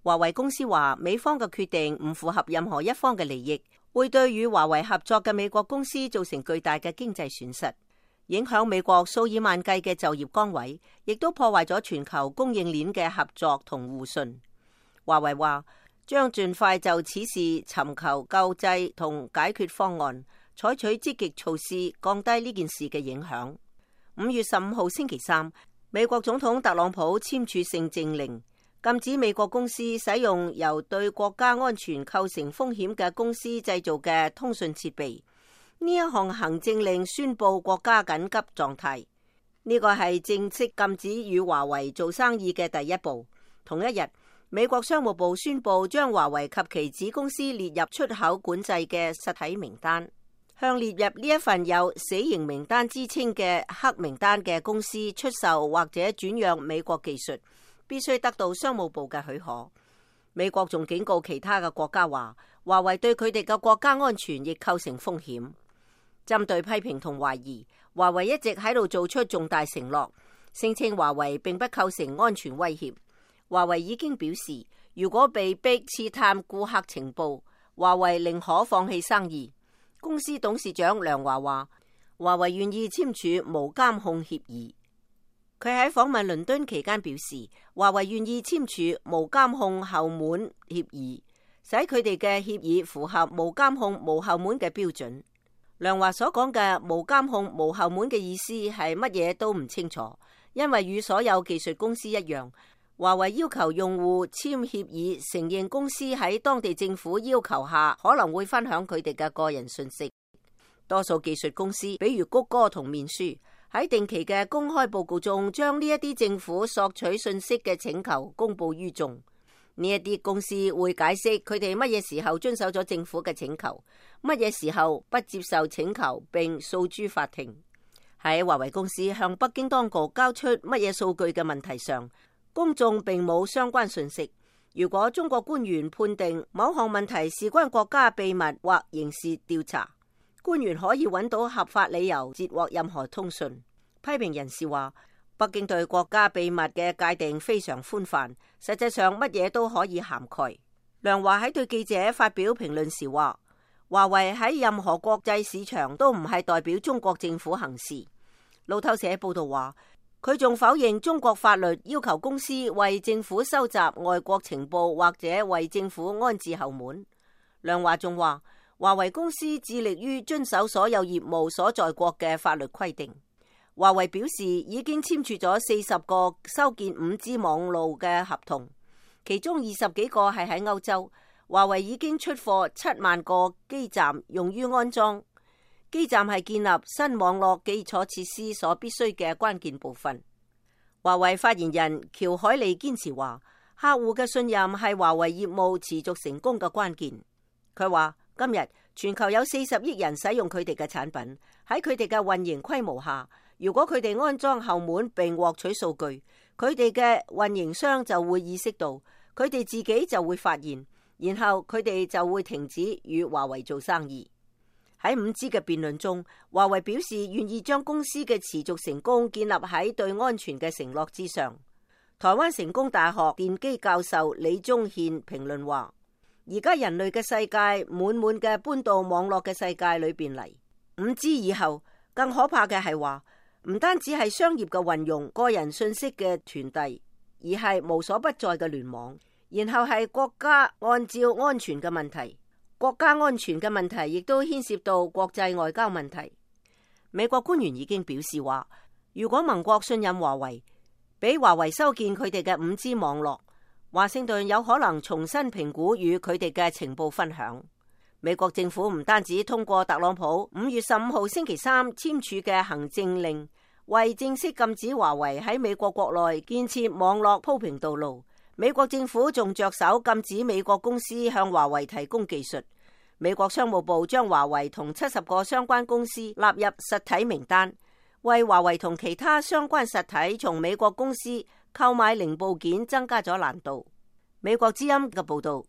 華為公司話，美方嘅決定唔符合任何一方嘅利益，會對與華為合作嘅美國公司造成巨大嘅經濟損失，影響美國數以萬計嘅就業崗位，亦都破壞咗全球供應鏈嘅合作同互信。華為話將盡快就此事尋求救濟同解決方案，採取積極措施降低呢件事嘅影響。5月15號星期三，美國總統特朗普簽署行政令，禁止美國公司使用由對國家安全構成風險嘅公司製造嘅通訊設備。呢一項行政令宣布國家緊急狀態，呢個係正式禁止與華為做生意嘅第一步。同一日，美國商務部宣布將華為及其子公司列入出口管制嘅實體名單，向列入呢一份有死刑名單之稱嘅黑名單嘅公司出售或者轉讓美國技術，必須得到商務部嘅許可。美國仲警告其他嘅國家話，華為對佢哋嘅國家安全亦構成風險。針對批評同懷疑，華為一直喺度做出重大承諾，聲稱華為並不構成安全威脅。華為已經表示，如果被逼刺探顧客情報，華為寧可放棄生意。公司董事長梁華話，華為願意簽署無監控協議。佢喺訪問倫敦期間表示，華為願意簽署無監控後門協議，使佢哋嘅協議符合無監控無後門嘅標準。梁華所講嘅無監控無後門嘅意思係乜嘢都唔清楚，因為與所有技術公司一樣，華為要求用戶簽協議，承認公司喺當地政府要求下可能會分享佢哋嘅個人信息。多數技術公司，比如谷歌同面書，喺定期嘅公開報告中，將呢一啲政府索取信息嘅請求公布於眾。呢一啲公司會解釋佢哋乜嘢時候遵守咗政府嘅請求，乜嘢時候不接受請求，並訴諸法庭。喺華為公司向北京當局交出乜嘢數據嘅問題上，公眾並冇相關信息。如果中國官員判定某項問題事關國家秘密或刑事調查，官員可以揾到合法理由截獲任何通訊。批評人士話，北京對國家秘密嘅界定非常寬泛，實際上乜嘢都可以涵蓋。梁華喺對記者發表評論時話，華為喺任何國際市場都唔係代表中國政府行事。路透社報道話，佢仲否認中國法律要求公司為政府收集外國情報或者為政府安置後門。梁華仲話，華為公司致力於遵守所有業務所在國嘅法律規定。華為表示已經簽署咗40個修建5G 網路嘅合同，其中20幾個係喺歐洲。華為已經出貨7萬個基站用於安裝。基站係建立新網絡基礎設施所必須嘅關鍵部分。華為發言人喬海利堅持話，客戶嘅信任係華為業務持續成功嘅關鍵。佢話，今日全球有40億人使用佢哋嘅產品，喺佢哋嘅運營規模下，如果佢哋安裝後門並獲取數據，佢哋嘅運營商就會意識到，佢哋自己就會發現，然後佢哋就會停止與華為做生意。喺5G嘅辯論中，華為表示願意將公司嘅持續成功建立喺對安全嘅承諾之上。台灣成功大學電機教授李宗憲評論話，而家人類嘅世界滿滿嘅搬到網絡嘅世界裏邊嚟。5G 以後更可怕嘅係話，唔單止係商業嘅運用、個人信息嘅傳遞，而係無所不在嘅聯網。然後係國家按照安全嘅問題。國家安全嘅問題亦都牽涉到國際外交問題。美國官員已經表示話，如果盟國信任華為，俾華為修建佢哋嘅5G 網絡，華盛頓有可能重新評估與佢哋嘅情報分享。美國政府唔單止通過特朗普5月15號星期三簽署嘅行政令，為正式禁止華為喺美國國內建設網絡鋪平道路，美國政府仲着手禁止美國公司向華為提供技術。美國商務部將華為同70個相關公司納入實體名單，為華為同其他相關實體從美國公司購買零部件增加咗難度。美國之音嘅報道。